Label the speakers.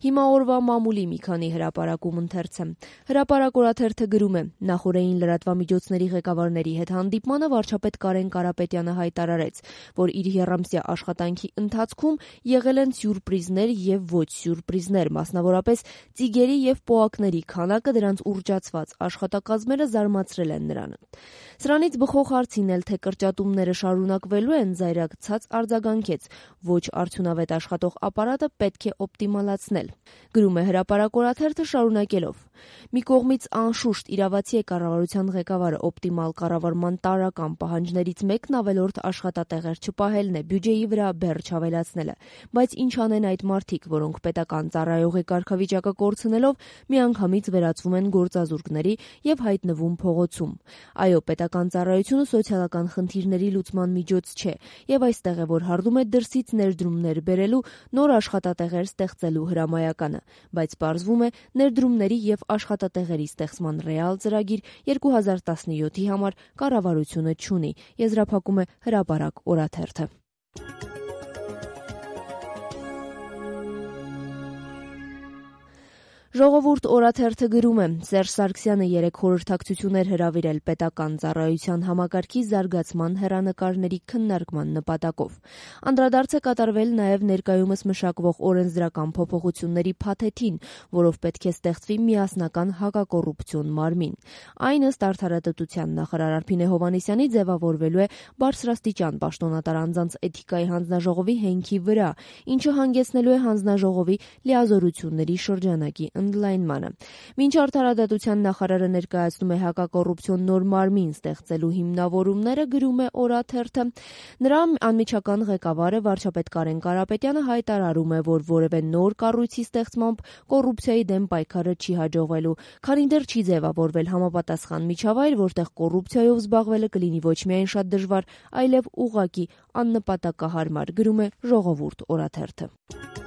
Speaker 1: Հիմա օրվա մամուլի մի քանի հրապարակում ընթերցեմ։ Հրապարակ օրաթերթը գրում է. նախորդային լրատվամիջոցների ղեկավարների հետ հանդիպմանը վարչապետ Կարեն Կարապետյանը հայտարարեց, որ իր եռամսյա աշխատանքի ընթացքում եղել են սյուրպրիզներ եւ ոչ սյուրպրիզներ, մասնավորապես ծիգերի եւ պոակների քանակը, դրանց ուռճացված աշխատակազմերը զարմացրել են նրան։ Սրանից բխող հարցին էլ, թե կրճատումները շարունակվելու են, զայրակցած արձագանքեց. ոչ արդյունավետ աշխատող ապարատը պետք է օպտիմալացնել։ Գրում է Հրապարակ օրաթերթը շարունակելով. մի կողմից անշուշտ իրավացի է կառավարության ղեկավարը օպտիմալ կառավարման տարրական պահանջներից մեկն ավելորդ աշխատատեղեր չպահելն է, բյուջեի վրա բեռ չավելացնելը, բայց ինչ անեն այդ մարդիկ, որոնք պետական ծառայողի կարգավիճակը կորցնելով միանգամից վերածվում են գործազուրկների եւ հայտնվում փողոցում։ Այո, պետական ծառայությունը սոցիալական խնդիրների լուծման միջոց չէ, եւ այստեղ է, որ հարդում է դրսից ներդրումներ բերելու, նոր աշխատատեղեր ստեղծելու հրամայականը, բայց պարզվում է ներդրումների եւ աշխատատեղերի ստեղծման ռեալ ծրագիր 2017-ի համար կառավարությունը չունի, եզրափակում է Հրապարակ օրաթերթը։ Ժողովուրդ օրաթերթը գրում է. Սերժ Սարգսյանը երեկ խորհրդակցություններ հրավիրել պետական ծառայության համակարգի զարգացման հեռանկարների քննարկման նպատակով։ Անդրադարձ է կատարվել նաև ներկայումս մշակվող օրենսդրական փոփոխությունների փաթեթին, որով պետք է ստեղծվի միասնական հակակոռուպցիոն մարմին։ Այն ըստ Արդարադատության նախարար Արփինե Հովհաննիսյանի ձևավորվելու է բարձրաստիճան պաշտոնատար անձանց էթիկայի հանձնաժողովի հենքի վրա, ինչը հանգեցնելու է հանձնաժողովի լիազորությունների շրջանակի ընդլայնմանը։ Մինչ Արդարադատության նախարարը ներկայացնում է հակակոռուպցիոն նոր մարմին ստեղծելու հիմնավորումները, գրում է օրաթերթը, նրա անմիջական ղեկավարը վարչապետ Կարեն Կարապետյանը հայտարարում է, որ որևէ նոր կառույցի ստեղծմամբ կոռուպցիայի դեմ պայքարը չի հաջողվելու, քանի դեռ չի ձևավորվել համապատասխան միջավայր, որտեղ կոռուպցիայով զբաղվելը կլինի ոչ միայն շատ դժվար, այլև ուղղակի աննպատակահարմար, գրում է Ժողովուրդ օրաթերթը։